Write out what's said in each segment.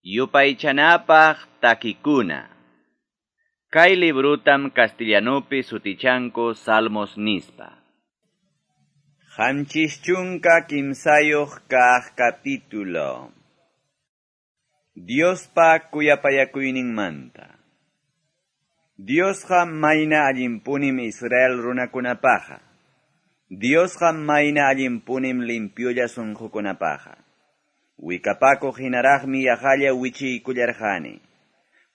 Yupaychanapaq takikuna. Kay librutam castellanupi sutichanku Salmos nispa. 73 kaq capítulo. Diospa kuyapayakuyninmanta. Diosqa mayna allinpunim Israel runakunapaqa. Diosqa mayna allinpunim limpiolla sunqukunapaqa. Wikapakuq hinaraqmi yaqalla wichiykullarqani.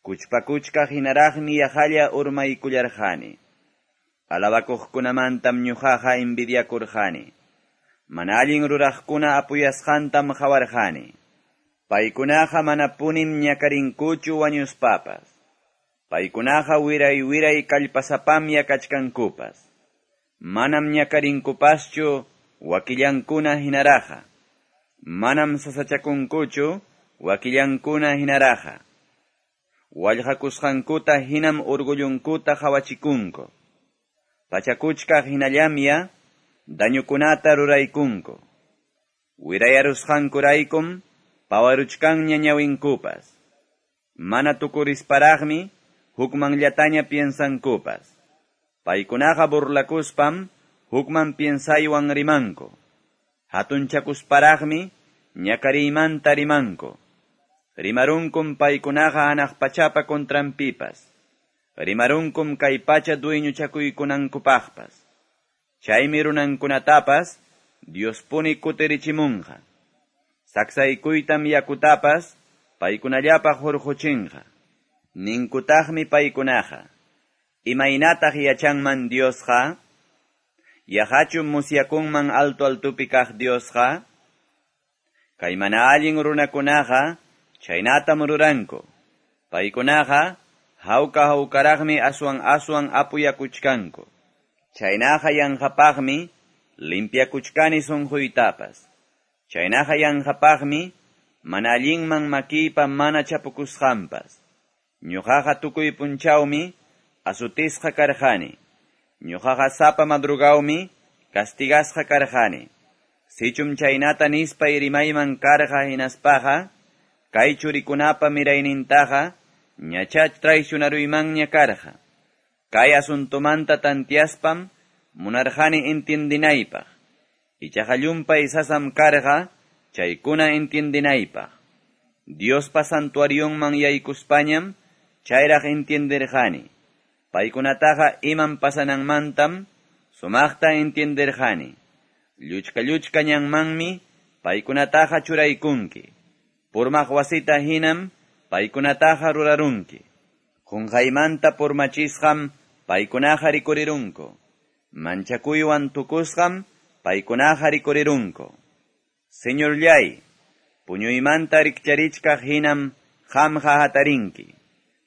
Kuchpakuchkaq hinaraqmi yaqalla urmaykullarqani. Alabakuqkunamantam ñuqaqa envidiakurqani. Mana allin ruraqkuna apuyasqantam qawarqani. Paykunaqa manapunim ñakarinkuchu wañuspapas. Paykunaqa wiray wiray kallpasapamya kachkankupas. Manam ñakarinkupaschu wakillankuna hinaraqa. Manam sasachakunkuchu wakillankuna hinaraqa. Wallqakusqankuta hinam orgullunkuta qawachikunku. Pachakuchkaq hinallamya dañukunata ruraykunku. Wirayarusqankuraykum pawaruchkanña ñawinkupas. Mana tukurisparaqmi hukmanllataña piensankupas. Paykunaqa burlakuspam hukman piensaywan rimanku. Hatunchakusparaqmi ñakariymanta rimanku. Rimarunkum paykunaqa hanaq pachapa contranpipas. Rimarunkum kay pacha dueñochakuykunankupaqpas. Chaymi runankunatapas Diospuni kutirichimunqa. Saksaykuytam yakutapas paykunallapaq hurquchinqa. Ninkutaqmi paykunaqa. Imaynataq yachanman Diosqa? Yaqachum musyakunman alto altupi kaq Diosqa? Kay mana allin runakunaqa chaynatam ruranku. Paykunaqa hawka hawkaraqmi aswan aswan apuyakuchkanku. Chaynaqa yanqapaqmi limpiakuchkani sunquytapas. Chaynaqa yanqapaqmi mana allinman makiypa mana chapukusqanpas. Ñuqaqa tukuy punchawmi asutisqa karqani. Ñuqaqa sapa madrugawmi castigasqa karqani. Sichum chaynata nispay rimayman karqa hinaspaqa, kay churikunapa miraynintaqa ñacha traicionaruymanña karqa. Kay asuntumanta tantiaspam munarqani entiendinaypaq. Ichaqa llumpay sasam karqa chaykuna entiendinaypaq. Diospa santuarionman yaykuspañam chayraq entienderqani. Paykunataqa imam pasananmantam sumaqta entienderqani. Lluchka lluchka ñanmanmi paykunataqa churaykunki. Purmaq wasita hinam paykunataqa rurarunki. Qunqaymanta purmachisqam paykunaqa rikurirunku. Manchakuywan tukusqam paykunaqa rikurirunku. Señorllay, puñuymanta rikcharichkaq hinam qamqa hatarinki.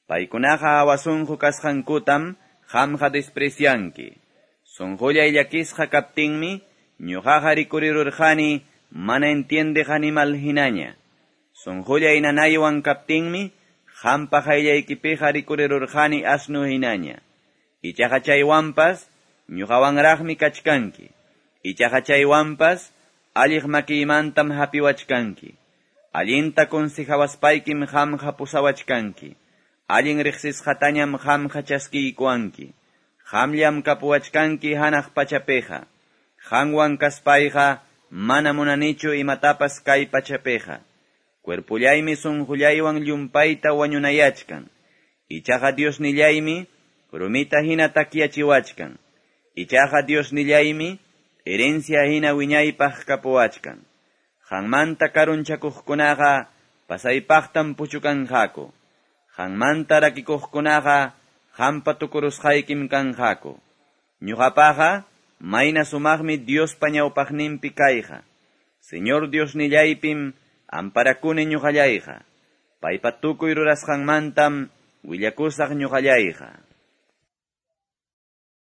Paykunaqa hawasunqu kasqankutam qamqa desprecianki. Sunqullay llakisqa kaptinmi ñuqaqa rikurirurqani mana entiendeq animal hinaña. Sunqullay nanaywan kaptinmi qampa qayllaykipiqa rikurirurqani asnu hinaña. Ichaqa chaywanpas ñuqawanraqmi kachkanki. Ichaqa chaywanpas alliq makiymantam hapiwachkanki. Allinta consejawaspaykim qamqa pusawachkanki. Allin riqsisqatañam qamqa chaskiykuwanki. Qamllam kapuwachkanki hanaq pachapiqa. Qanwan kaspayqa mana munanichu imatapas kay pachapiqa. Cuerpullaymi sunqullaywan llumpayta wañunayachkan. Ichaqa Diosnillaymi rumita hina takyachiwachkan. Ichaqa Diosnillaymi herencia hina wiñaypaq kapuwachkan. Qanmanta karunchakuqkunaqa pasaypaqtam puchukanqaku. Qanmanta rakikuqkunaqa qampa tukurusqaykim kanqaku. Ñuqapaqa mayna sumaqmi Diospa ñawpaqninpi kayqa. Señor Diosnillaypim amparakuni ñuqallayqa. Paypa tukuy rurasqanmantam willakusaq ñuqallayqa.